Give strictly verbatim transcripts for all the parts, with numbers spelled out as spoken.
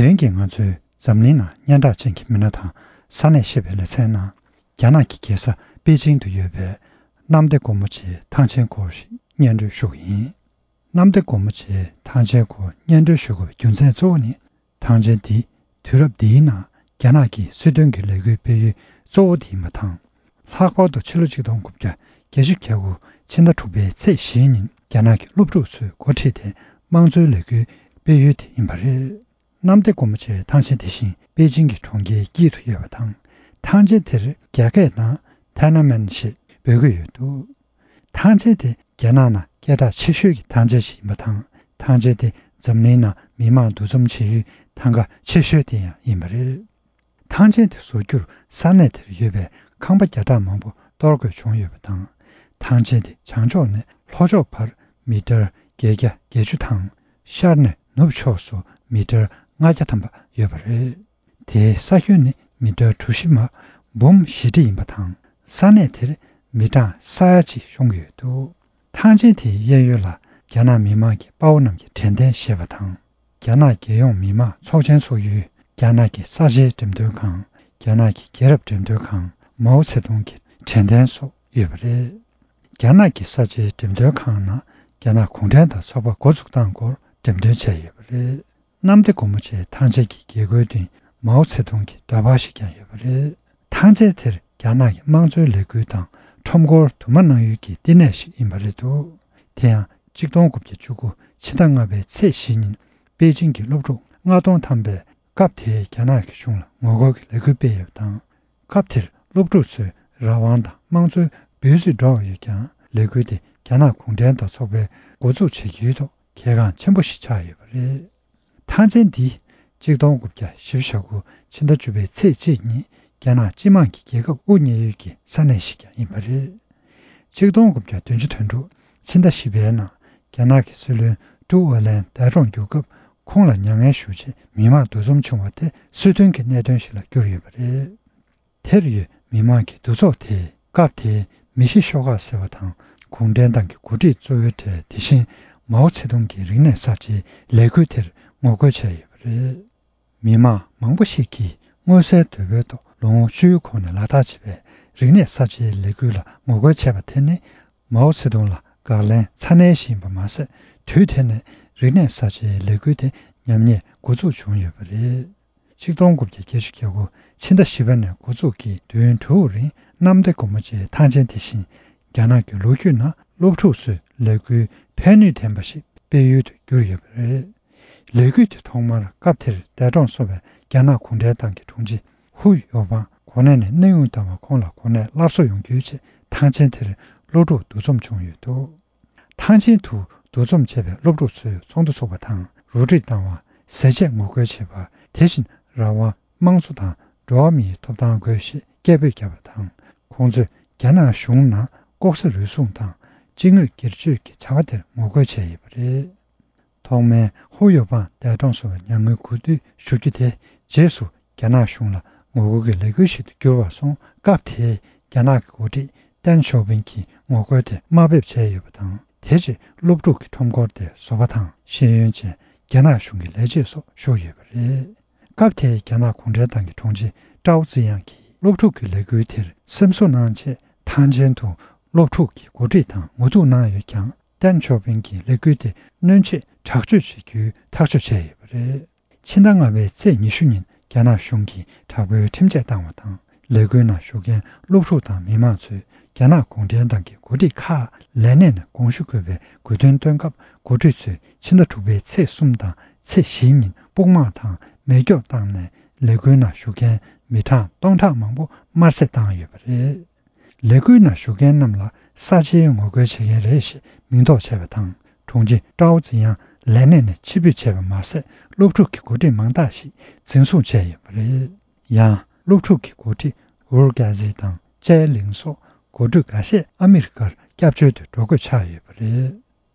དེང་གི་ང་ཚོའི་འཛམ་གླིང་ནང་སྙན་གྲགས་ཅན་གྱི་མི་སྣ་དང་ས་གནས་ཤེས་པའི་ལེ་ཚན་ནང་། རྒྱ་ནག་གི་རྒྱལ་ས་པེ་ཅིང་དུ་ཡོད་པའི་གནམ་བདེ་སྒོ་མོ་ཆེའི་ཐང་ཆེན་སྐོར་ཞིག་སྙན་སྒྲོན་ཞུ་གི་ཡིན། གནམ་བདེ་སྒོ་མོ་ཆེའི་ཐང་ཆེན་སྐོར་སྙན་སྒྲོན་ཞུ་དགོས་པའི་རྒྱུ་མཚན་གཙོ་བོ་ནི། ཐང་ཆེན་འདི་དུས་རབས་འདིའི་ནང་རྒྱ་ནག་གི་སྲིད་དོན་གྱི་ལས་འགུལ་སྤེལ་ཡུལ་གཙོ་བོ་དེ་ཡིན་པ་དང་། ལྷག་པར་དུ་ཕྱི་ལོ་ཆིག་སྟོང་དགུ་བརྒྱ་བརྒྱད་ཅུ་གྱ་དགུ་ཕྱི་ཟླ་དྲུག་པའི་ཚེས་བཞི་ཉིན་རྒྱ་ནག་གི་སློབ་ཕྲུག་ཚོས་འགོ་ཁྲིད་དེ་དམངས་གཙོའི་ལས་འགུལ་སྤེལ་ཡུལ་དེ་ཡིན་པ་རེད། གནམ་བདེ་སྒོ་མོ་ཆེའི་ཐང་ཆེན་དེ་བཞིན་པེ་ཅིང་གི་གྲོང་ཁྱེར་དཀྱིལ་དུ་ཡོད་པ་དང་། ཐང་ཆེན་དེར་རྒྱ་སྐད་ནང་ཐེ་ན་མེན་ཞེས་འབོད་ཀྱི་ཡོད་འདུག་ཐང་ཆེན་དེ་རྒྱ་ནག་ནང་སྐད་གྲགས་ཆེ་ཤོས་ཀྱི་ཐང་ཆེན་ཞིག་ཡིན་པ་དང་། ཐང་ཆེན་དེ་འཛམ་གླིང་ནང་མི་མང་འདུ་འཛོམས་བྱེད་ཡུལ་ཐང་ག་ཆེ་ཤོས་དེ་ཡང་ཡིན་པ་རེད། ཐང་ཆེན་དེ་བཟོ་རྒྱུར་ས་གནས་དེར་ཡོད་པའི་ཁང་པ་བརྒྱ་ཕྲག་མང་པོ་གཏོར་དགོས་བྱུང་ཡོད་པ་དང་། ཐང་ཆེན་དེ་བྱང་ཕྱོགས་ནས་ལྷོ་ཕྱོགས་བར་མི་ཊར་བརྒྱད་བརྒྱ་བརྒྱད་ཅུ་དང་། ཤར་ནས་ནུབ་ཕྱོགས་སུ་མི་ཊར་ལྔ་བརྒྱ་ཐམ་པ་ཡོད་པ་རེད། དེའི་ས་ཁྱོན་ནི་མི་ཊར་གྲུ་བཞི་མ་འབུམ་བཞི་ཁྲི་ཡིན་པ་དང་། ས་གནས་དེར་མི་གྲངས་ས་ཡ་གཅིག་ཤོང་གི་ཡོད་འདུག་ཐང་ཆེན་དེའི་གཡས་གཡོན་ལ་རྒྱ་ནག་མི་དམངས་ཀྱི་དཔའ་བོ་རྣམས་ཀྱི་དྲན་རྟེན་བཞེངས་པ་དང་། རྒྱ་ནག་རྒྱལ་ཡོངས་མི་དམངས་ཚོགས་ཆེན་ཚོགས་ཡུལ། རྒྱ་ནག་གི་གསར་བརྗེའི་འགྲེམས་སྟོན་ཁང་། རྒྱ་ནག་གི་རྒྱལ་རབས་འགྲེམས་སྟོན་ཁང་། མའོ་ཚེ་ཏུང་གི་དྲན་རྟེན་སོགས་ཡོད་པ་རེད། རྒྱ་ནག་གི་གསར་བརྗེའི་འགྲེམས་སྟོན་ཁང་ནང་རྒྱ་ནག་གུང་ཁྲན་ཏང་ཚོགས་པ་འགོ་འཛུགས་སྟངས་སྐོར་འགྲེམས་སྟོན་བྱས་ཡོད་པ་རེད། གནམ་བདེ་སྒོ་མོ་ཆེའི་ཐང་ཆེན་གྱི་རྒྱལ་སྒོའི་སྟེང་མའོ་ཚེ་ཏུང་གི་འདྲ་པར་ཞིག་ཀྱང་ཡོད་པ་རེད། ཐང་ཆེན་དེར་རྒྱ་ནག་གི་དམངས་གཙོའི་ལས་འགུལ་དང་ཁྲོམ་སྐོར་དུ་མ་གནང་ཡུལ་གྱི་བསྟི་གནས་ཤིག་ཡིན་པ་རེད་འདུག་དེ་ཡང་ཆིག་སྟོང་དགུ་བརྒྱ་བཅུ་དགུ་ཕྱི་ཟླ་ལྔ་པའི་ཚེས་བཞི་ཉིན་པེ་ཅིང་གི་སློབ་ཕྲུག་ལྔ་སྟོང་ཐམ་པས་སྐབས་དེའི་རྒྱ་ནག་གི་གཞུང་ལ་ངོ་རྒོལ་གྱི་ལས་འགུལ་སྤེལ་ཡོད་པ་དང་། སྐབས་དེར་སློབ་ཕྲུག་ཚོས་རང་དབང་དང་དམངས་གཙོའི་འབོད་ཚིག་སྒྲོག་ཡོད་ཀྱང་། ལས་འགུལ་དེ་རྒྱ་ནག་གུང་ཁྲན་ཏང་ཚོགས་པས་འགོ་འཛུགས་བྱེད་ཀྱི་ཡུལ་ཐོག་གལ་འགངས་ཆེན་པོ་ཞིག་ཆགས་ཡོད་པ་རེད། ཐང་ཆེན་འདི་ཆིག་སྟོང་དགུ་བརྒྱ་བཞི་བཅུ་ཞེ་དགུ་ཕྱི་ཟླ་བཅུ་པའི་ཚེས་གཅིག་ཉིན་རྒྱ་ནག་སྤྱི་དམངས་ཀྱི་རྒྱལ་ཁབ་དབུ་བརྙེས་ཡུལ་གྱི་ས་གནས་ཤིག་ཀྱང་ཡིན་པ་རེད། ཆིག་སྟོང་དགུ་བརྒྱ་བདུན་ཅུ་དོན་དྲུག་ཕྱི་ཟླ་བཞི་པའི་ནང་རྒྱ་ནག་གི་སྲིད་བློན་ཀྲུའུ་ཨེ་ལན་འདས་གྲོངས་གྱུར་སྐབས། ཁོང་ལ་མྱ་ངན་ཞུ་ཆེད་མི་མང་འདུ་འཛོམས་བྱུང་བ་དེ་སྲིད་དོན་གྱི་གནད་དོན་ཞིག་ལ་གྱུར་ཡོད་པ་རེད། དེར་ཡོད་མི་མང་གི་འདུ་ཚོགས་དེས་སྐབས་དེའི་མི་ཤི་ཤོག་ཁག་ཟེར་བ་དང་། གུང་ཁྲན་ཏང་གི་འགོ་ཁྲིད་གཙོ་བོའི་གྲས། དེ་བཞིན་མའོ་ཚེ་ཏུང་གི་རིག་གནས་གསར་བརྗེའི་ལས་འགུལ་དེར་ངོ་རྒོལ་བྱས་ཡོད་པ་རེད། མི་མང་མང་པོ་ཞིག་གིས་མངོན་གསལ་དོད་པོའི་ཐོག་ལོ་ངོ་བཅུའི་གོང་ནས་ལག་བསྟར་བྱེད་པའི་རིག་གནས་གསར་བརྗེའི་ལས་འགུལ་ལ་ངོ་རྒོལ་བྱས་པ་དེ་ནི། མའོ་ཚེ་ཏུང་ལ་དགག་ལན་ཚ་ནན་ཞིག་ཡིན་པ་མ་ཟད། དུས་དེ་ནས་རིག་གནས་གསར་བརྗེའི་ལས་འགུལ་དེ་ཉམས་ཉེས་འགོ་འཛུགས་བྱུང་ཡོད་པ་རེད། ཆིག་སྟོང་དགུ་བརྒྱ་བརྒྱད་ཅུ་གྱ་དགུ་ཕྱི་ཟླ་བཞི་པ་ནས་འགོ་འཛུགས་ཀྱིས་བདུན་དྲུག་རིང་གནམ་བདེ་སྒོ་མོ་ཆེའི་ཐང་ཆེན་དེ་བཞིན། རྒྱ་ནག་གི་ལོ་རྒྱུས་ནང་སློབ་ཕྲུག་ཚོས་ལས་འགུལ་ཕན་ནུས་ལྡན་པ་ཞིག་སྤེལ་ཡུལ་དུ་གྱུར་ཡོད་པ་རེད། ལས་འགུལ་དེ་ཐོག་མར་སྐབས་དེར་འདས་གྲོངས་སོང་བའི་རྒྱ་ནག་གུང་ཁྲན་ཏང་གི་དྲུང་ཆེ་ཧུ་ཡོ་པང་གོ་གནས་ནས་གནས་དབྱུང་བཏང་བ། ཁོང་ལ་གོ་གནས་སླར་གསོ་ཡོང་རྒྱུའི་ཆེད་ཐང་ཆེན་དེར་སློབ་ཕྲུག་འདུ་འཛོམས་བྱུང་ཡོད་འདུག་ཐང་ཆེན་དུ་འདུ་འཛོམས་བྱས་པའི་སློབ་ཕྲུག་ཚོས་ཚོགས་འདུ་ཚོགས་པ་དང་། རོགས་སྒྲིག་བཏང་བ། ཟས་བཅད་ངོ་རྒོལ་བྱེད་པ། དེ་བཞིན་རང་དབང་། དམངས་གཙོ་དང་འགྲོ་བ་མིའི་ཐོབ་ཐང་དགོས་ཞེས་སྐད་འབོད་བརྒྱབ་པ་དང་། ཁོང་ཚོས་རྒྱ་ནག་གཞུང་ནང་ལྐོག་ཟ་རུལ་སུངས་དང་སྤྱི་དངོས་སྒེར་གཅོད་ཀྱི་བྱ་བ་དེར་ངོ་རྒོལ་བྱས་ཡོད་པ་རེད། ཐོག་མའི་ཧུ་ཡོ་པང་འདས་གྲོངས་སོང་བའི་མྱ་ངན་གུས་འདུད་ཞུ་རྒྱུ་དེ། རྗེས་སུ་རྒྱ་ནག་གཞུང་ལ་ངོ་རྒོལ་གྱི་ལས་འགུལ་ཞིག་ཏུ་གྱུར་བར་སོང་། སྐབས་དེའི་རྒྱ་ནག་གི་འགོ་ཁྲིད་ཏེང་ཞའོ་ཕིང་གིས་ངོ་རྒོལ་དེ་དམའ་འབེབས་བྱས་ཡོད་པ་དང་། དེ་རྗེས་སློབ་ཕྲུག་གི་ཁྲོམ་སྐོར་དེ་བཟོ་པ་དང་ཤེས་ཡོན་ཅན་རྒྱ་ནག་གཞུང་གི་ལས་བྱེད་སོགས་ཞུགས་ཡོད་པ་རེད། སྐབས་དེའི་རྒྱ་ནག་གུང་ཁྲན་ཏང་གི་དྲུང་ཆེ་ཀྲའོ་ཙི་དབྱང་གིས་སློབ་ཕྲུག་གི་ལས་འགུལ་དེར་སེམས་གསོ་གནང་ཆེད་ཐང་ཆེན་དུ་སློབ་ཕྲུག་གི་འགོ་ཁྲིད་དང་ངོ་ཐུག་གནང་ཡོད་ཀྱང་། ཏེང་ཞའོ་ཕིང་གིས་ལས་འགུལ་དེ་གནོན་ཆེད་དྲག་སྤྱོད་བྱེད་རྒྱུའི་ཐག་གཅོད་བྱས་ཡོད་པ་རེད། ཕྱི་ཟླ་ལྔ་པའི་ཚེས་ཉི་ཤུ་ཉིན་རྒྱ་ནག་གཞུང་གིས་དྲག་པོའི་ཁྲིམས་ཆད་བཏང་བ་དང་། ལས་འགུལ་ནང་ཞུགས་མཁན་སློབ་ཕྲུག་དང་མི་མང་ཚོས་རྒྱ་ནག་གུང་ཁྲན་ཏང་གི་འགོ་ཁྲིད་ཁག་ལས་གནས་ནས་དགོངས་ཞུ་དགོས་པའི་དགོས་འདུན་བཏོན་སྐབས། འགོ་ཁྲིད་ཚོས་ཕྱི་ཟླ་དྲུག་པའི་ཚེས་གསུམ་དང་ཚེས་བཞི་ཉིན་དཔུང་དམག་དང་མེ་སྒྱོགས་བཏང་ནས་ལས་འགུལ་ནང་ཞུགས་མཁན་མི་གྲངས་སྟོང་ཕྲག་མང་པོ་དམར་གསོད་བཏང་ཡོད་པ་རེད། ལས་འགུལ་ནང་ཞུགས་མཁན་རྣམས་ལ་གསར་བརྗེའི་ངོ་རྒོལ་བྱེད་མཁན་རེད་ཞེས་མིང་འདོགས་བྱས་པ་དང་། དྲུང་ཆེ་ཀྲའོ་ཙི་དབྱང་ལས་གནས་ནས་ཕྱིར་འབུད་བྱས་པ་མ་ཟད། སློབ་ཕྲུག་གི་འགོ་ཁྲིད་མང་དག་ཞིག་འཛིན་བཟུང་བྱས་ཡོད་པ་རེད། ཡང་སློབ་ཕྲུག་གི་འགོ་ཁྲིད་ཝུར་ཀ་ཟི་དང་ཅའེ་ལིང་སོགས་འགོ་ཁྲིད་འགའ་ཤས་ཨ་མི་རི་ཀར་སྐྱབས་བཅོལ་དུ་འགྲོ་དགོས་ཆགས་ཡོད་པ་རེད།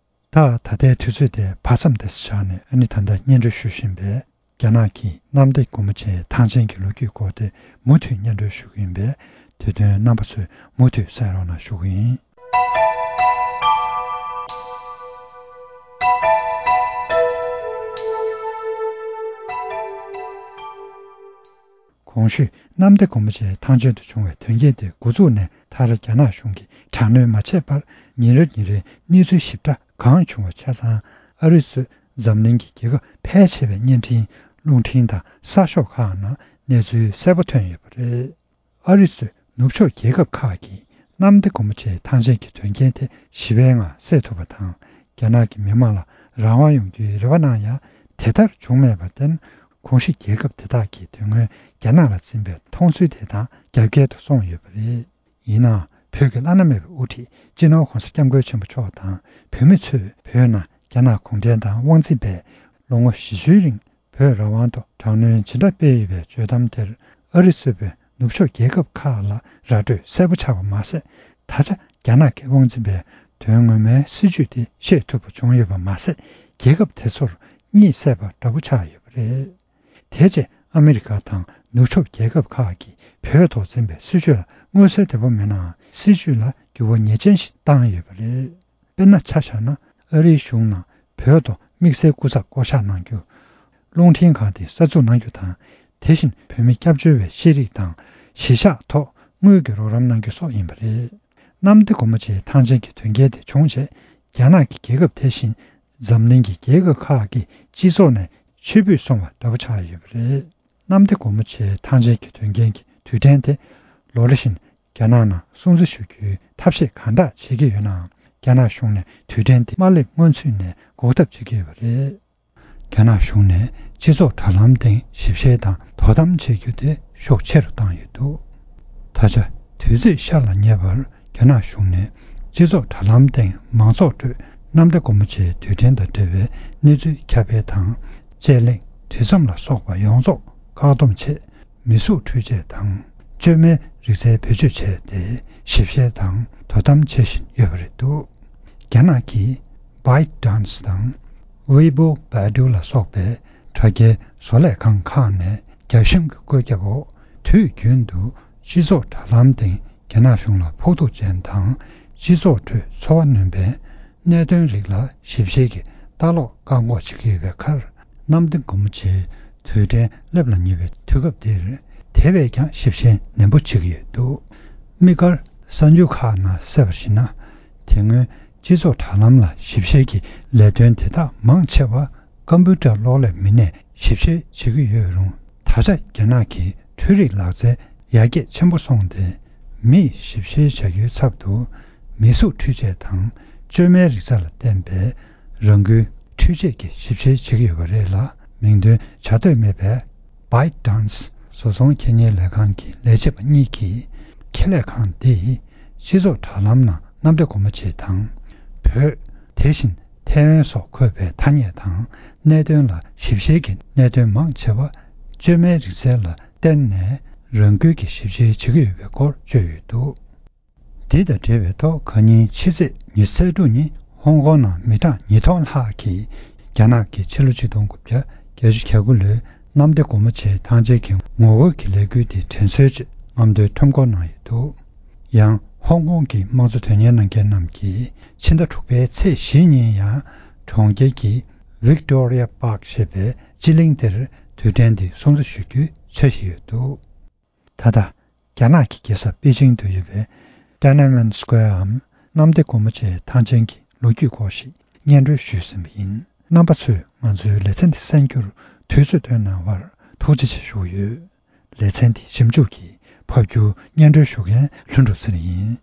ད་ད་ལྟའི་དུས་ཚོད་དེ་བར་མཚམས་དེ་སུ་ཆགས་ནས། ཨ་ནི་ད་ལྟ་སྙན་སྒྲོན་ཞུ་བཞིན་པའི་རྒྱ་ནག་གི་གནམ་བདེ་སྒོ་མོ་ཆེའི་ཐང་ཆེན་གྱི་ལོ་རྒྱུས་སྐོར་དེ་མུ་མཐུད་སྙན་སྒྲོན་ཞུ་གི་ཡིན་པས། དེ་དོན་རྣམ་པ་ཚོས་མུ་མཐུད་གསན་རོགས་གནང་ཞུ་གི་ཡིན། གོང་ཞུས་གནམ་བདེ་སྒོ་མོ་ཆེའི་ཐང་ཆེན་དུ་བྱུང་བའི་དོན་རྐྱེན་དེ་འགོ་འཛུགས་ནས་མཐར་རྒྱ་ནག་གཞུང་གིས་དྲག་གནོན་མ་བྱས་པར་ཉིན་རེ་ཉིན་རེ་གནས་ཚུལ་ཞིབ་ཕྲ་གང་བྱུང་བ་ཆ་ཚང་ཨ་རི་གཙོས་འཛམ་གླིང་གི་རྒྱལ་ཁབ་ཕལ་ཆེ་བའི་བརྙན་འཕྲིན་རླུང་འཕྲིན་དང་གསར་ཤོག་ཁག་ནང་གནས་ཚུལ་གསལ་པོ་ཐོན་ཡོད་པ་རེད། ཨ་རི་གཙོས་ནུབ་ཕྱོགས་རྒྱལ་ཁབ་ཁག་གིས་གནམ་བདེ་སྒོ་མོ་ཆེའི་ཐང་ཆེན་གྱི་དོན་རྐྱེན་དེ་ཞི་བའི་ངང་སེལ་ཐུབ་པ་དང་། རྒྱ་ནག་གི་མི་མང་ལ་རང་དབང་ཡོང་རྒྱུའི་རེ་བ་གནང་ཡང་དེ་ལྟར་བྱུང་མེད་པར་བརྟེན། གོང་ཞུས་རྒྱལ་ཁབ་དེ་དག་གིས་དོན་དངོས་རྒྱ་ནག་ལ་འཛིན་པའི་མཐོང་ཚུལ་དེ་དང་རྒྱབ་འགལ་དུ་སོང་ཡོད་པ་རེད། ཡིན་ནའང་། བོད་ཀྱི་བླ་ན་མེད་པའི་དབུ་ཁྲིད་སྤྱི་ནོར་༧གོང་ས་༧སྐྱབས་མགོན་ཆེན་པོ་མཆོག་དང་བོད་མི་ཚོས་བོད་ནང་རྒྱ་ནག་གུང་ཁྲན་ཏང་དབང་འཛིན་པས་ལོ་ངོ་བཞི་བཅུའི་རིང་བོད་རང་དབང་ཐོག་དྲག་གནོན་ཇི་འདྲ་སྤེལ་ཡོད་པའི་བརྗོད་གཏམ་དེར་ཨ་རི་གཙོས་པའི་ནུབ་ཕྱོགས་རྒྱལ་ཁབ་ཁག་ལ་ར་སྤྲོད་གསལ་པོ་ཆགས་པ་མ་ཟད། ད་ཆ་རྒྱ་ནག་གི་དབང་འཛིན་པས་དོན་ངོ་མའི་སྲིད་ཇུས་དེ་ཤེས་ཐུབ་པ་བྱུང་ཡོད་པ་མ་ཟད། རྒྱལ་ཁབ་དེ་ཚོར་གཉིད་སད་པ་འདྲ་པོ་ཆགས་ཡོད་པ་རེད། དེ་རྗེས་ཨ་མི་རི་ཀ་དང་ནུབ་ཕྱོགས་རྒྱལ་ཁབ་ཁག་གིས་བོད་ཐོག་འཛིན་པའི་སྲིད་བྱུས་ལ་མངོན་གསལ་དོད་པོ་མེད་ནའང་། སྲིད་བྱུས་ལ་འགྱུར་བ་ངེས་ཅན་ཞིག་བཏང་ཡོད་པ་རེད། དཔེར་ན། ཆ་བཞག་ན། ཨ་རིའི་གཞུང་ནང་བོད་ཐོག་དམིགས་བསལ་སྐུ་ཚབ་བསྐོ་གཞག་གནང་རྒྱུ། རླུང་འཕྲིན་ཁང་དེ་གསར་འཛུགས་གནང་རྒྱུ་དང་། དེ་བཞིན་བོད་མི་སྐྱབས་བཅོལ་བའི་ཤེས་རིག་དང་གཞིས་ཆགས་ཐོག་དངུལ་གྱི་རོགས་རམ་གནང་རྒྱུ་སོགས་ཡིན་པ་རེད། གནམ་བདེ་སྒོ་མོ་ཆེའི་ཐང་ཆེན་གྱི་དོན་རྐྱེན་དེ་བྱུང་རྗེས། རྒྱ་ནག་གི་རྒྱལ་ཁབ་དེ་བཞིན་འཛམ་གླིང་གི་རྒྱལ་ཁབ་ཁག་གི་སྤྱི་ཚོགས་ནས་ཕྱིར་འབུད་སོང་བ་འདྲ་པོ་ཆགས་ཡོད་པ་རེད། གནམ་བདེ་སྒོ་མོ་ཆེའི་ཐང་ཆེན་གྱི་དོན་རྐྱེན་གྱི་དུས་དྲན་དེ་ལོ་རེ་བཞིན་རྒྱ་ནག་ནང་སྲུང་བརྩི་ཞུ་རྒྱུའི་ཐབས་ཤེས་གང་དྲག་བྱེད་ཀྱི་ཡོད་ནའང་། རྒྱ་ནག་གཞུང་ནས་དུས་དྲན་དེ་མ་སླེབས་སྔོན་ཚུད་ནས་འགོག་ཐབས་བྱེད་ཀྱི་ཡོད་པ་རེད། རྒྱ་ནག་གཞུང་ནས་སྤྱི་ཚོགས་དྲ་ལམ་སྟེང་ཞིབ་བཤེར་དང་དོ་དམ་བྱེད་རྒྱུ་དེ་ཤུགས་ཆེ་རུ་བཏང་ཡོད་འདུག་ད་ཆ་དུས་ཚོད་ཤར་ལ་ཉེ་བར་རྒྱ་ནག་གཞུང་ནས་སྤྱི་ཚོགས་དྲ་ལམ་སྟེང་མང་ཚོགས་ཁྲོད་གནམ་བདེ་སྒོ་མོ་ཆེའི་དུས་དྲན་དང་འབྲེལ་བའི་གནས་ཚུལ་ཁྱབ་སྤེལ་དང་། དཔྱད་གླེང་། དུས་མཚམས་ལ་སོགས་པ་ཡོངས་རྫོགས་བཀག་སྡོམ་ཆེད། མི་གཟུགས་འཕྲུལ་ཆས་དང་བཅོས་མའི་རིག་རྩལ་བེད་སྤྱོད་བྱས་ཏེ་ཞིབ་བཤེར་དང་དོ་དམ་བྱེད་བཞིན་ཡོད་པ་རེད་འདུག་རྒྱ་ནག་གི་ByteDance་དང་Weibo Baidu་ལ་སོགས་པའི་དྲ་རྒྱའི་བཟོ་ལས་ཁང་ཁག་ནས་རྒྱ་གཞུང་གི་བཀོད་ཁྱབ་འོག་དུས་རྒྱུན་དུ་སྤྱི་ཚོགས་དྲ་ལམ་སྟེང་རྒྱ་ནག་གཞུང་ལ་ཕོག་ཐུག་ཅན་དང་སྤྱི་ཚོགས་ཁྲོད་ཚོར་བ་སྣོན་པའི་གནད་དོན་རིགས་ལ་ཞིབ་བཤེར་གྱིས་ལྟ་ཀློག་བཀག་འགོག་བྱེད་ཀྱི་ཡོད་པའི་ཁར། གནམ་བདེ་སྒོ་མོ་ཆེའི་དུས་དྲན་སླེབས་ལ་ཉེ་བའི་དུས་སྐབས་འདིར། དེ་བས་ཀྱང་ཞིབ་བཤེར་ནན་པོ་བྱེད་ཀྱི་ཡོད་འདུག་དམིགས་བཀར་གསར་འགྱུར་ཁག་ནང་གསལ་བར་གཞིགས་ན། དེ་སྔོན་སྤྱི་ཚོགས་དྲ་ལམ་ལ་ཞིབ་བཤེར་གྱི་ལས་དོན་དེ་དག་མང་ཆེ་བ་ཀམ་པུ་ཊར་གློག་ཀླད་མི་སྣས་ཞིབ་བཤེར་བྱེད་ཀྱི་ཡོད་རུང་། ད་ཆ་རྒྱ་ནག་གི་འཕྲུལ་རིག་ལག་རྩལ་ཡར་རྒྱས་ཆེན་པོ་སོང་སྟེ། མིས་ཞིབ་བཤེར་བྱ་རྒྱུའི་ཚབ་ཏུ་མི་གཟུགས་འཕྲུལ་ཆས་དང་བཅོས་མའི་རིག་རྩལ་ལ་བརྟེན་པའི་རང་འགུལ་འཕྲུལ་ཆས་ཀྱིས་ཞིབ་བཤེར་བྱེད་ཀྱི་ཡོད་པ་རེད་ལ། མིང་དོན་བྱ་འདོད་མེད་པའི་ByteDance་བཟོ་ཚོང་འཁྱེར་ཉན་ལས་ཁང་གི་ལས་བྱེད་པ་གཉིས་ཀྱིས་ཁེ་ལས་ཁང་འདིས་སྤྱི་ཚོགས་དྲ་ལམ་ནང་གནམ་བདེ་སྒོ་མོ་ཆེ་དང་། བོད། དེ་བཞིན་ཐའེ་ཝན་སོགས་འཁོད་པའི་ཐ་སྙད་དང་གནད་དོན་ལ་ཞིབ་བཤེར་གྱི་གནད་དོན་མང་ཆེ་བ་བཅོས་མའི་རིག་རྩལ་ལ་བརྟེན་ནས་རང་འགུལ་གྱིས་ཞིབ་བཤེར་བྱེད་ཀྱི་ཡོད་པའི་སྐོར་བརྗོད་ཡོད་འདུག་འདི་དང་འབྲེལ་བའི་ཐོག་ཁ་ཉིན་ཕྱི་ཚེས་ཉི་ཤུ་རྩ་དྲུག་ཉིན་ཧོང་ཀོང་ནང་མི་གྲངས་ཉིས་སྟོང་ལྷག་གིས་རྒྱ་ནག་གི་ཕྱི་ལོ་ཆིག་སྟོང་དགུ་བརྒྱ་བརྒྱད་ཅུ་གྱ་དགུ་ལོའི་གནམ་བདེ་སྒོ་མོ་ཆེའི་ཐང་ཆེན་གྱི་ངོ་རྒོལ་གྱི་ལས་འགུལ་དེ་དྲན་གསོའི་ཆེད་རྔམ་སྟོན་ཁྲོམ་སྐོར་གནང་ཡོད་འདུག་ཡང་ཧོང་ཀོང་གི་དམངས་གཙོ་དོན་གཉེར་གནང་མཁན་རྣམས་ཀྱིས་ཕྱི་ཟླ་དྲུག་པའི་ཚེས་བཞི་ཉིན་ཡང་གྲོང་ཁྱེར་གྱི་Victoria Park་ཞེས་པའི་སྤྱི་གླིང་དེར་དུས་དྲན་དེ་སྲུང་བརྩི་ཞུ་རྒྱུའི་འཆར་གཞི་ཡོད་འདུག་ད་ལྟ། རྒྱ་ནག་གི་རྒྱལ་ས་པེ་ཅིང་དུ་ཡོད་པའི་Tiananmen Square་འམ་གནམ་བདེ་སྒོ་མོ་ཆེའི་ཐང་ཆེན་གྱི་ལོ་རྒྱུས་སྐོར་ཞིག་སྙན་སྒྲོན་ཞུས་ཟིན་པ་ཡིན། རྣམ་པ་ཚོས་ང་ཚོའི་ལེ་ཚན་འདི་གསན་རྒྱུར་དུས་ཚོད་བཏོན་གནང་བར་ཐུགས་རྗེ་ཆེ་ཞུ་གི་ཡོད། ལེ་ཚན་འདི་ཞིབ་འཇུག་གིས་ཕབ་སྒྱུར་སྙན་སྒྲོན་ཞུ་མཁན་ལྷུན་གྲུབ་ཚེ་རིང་ཡིན།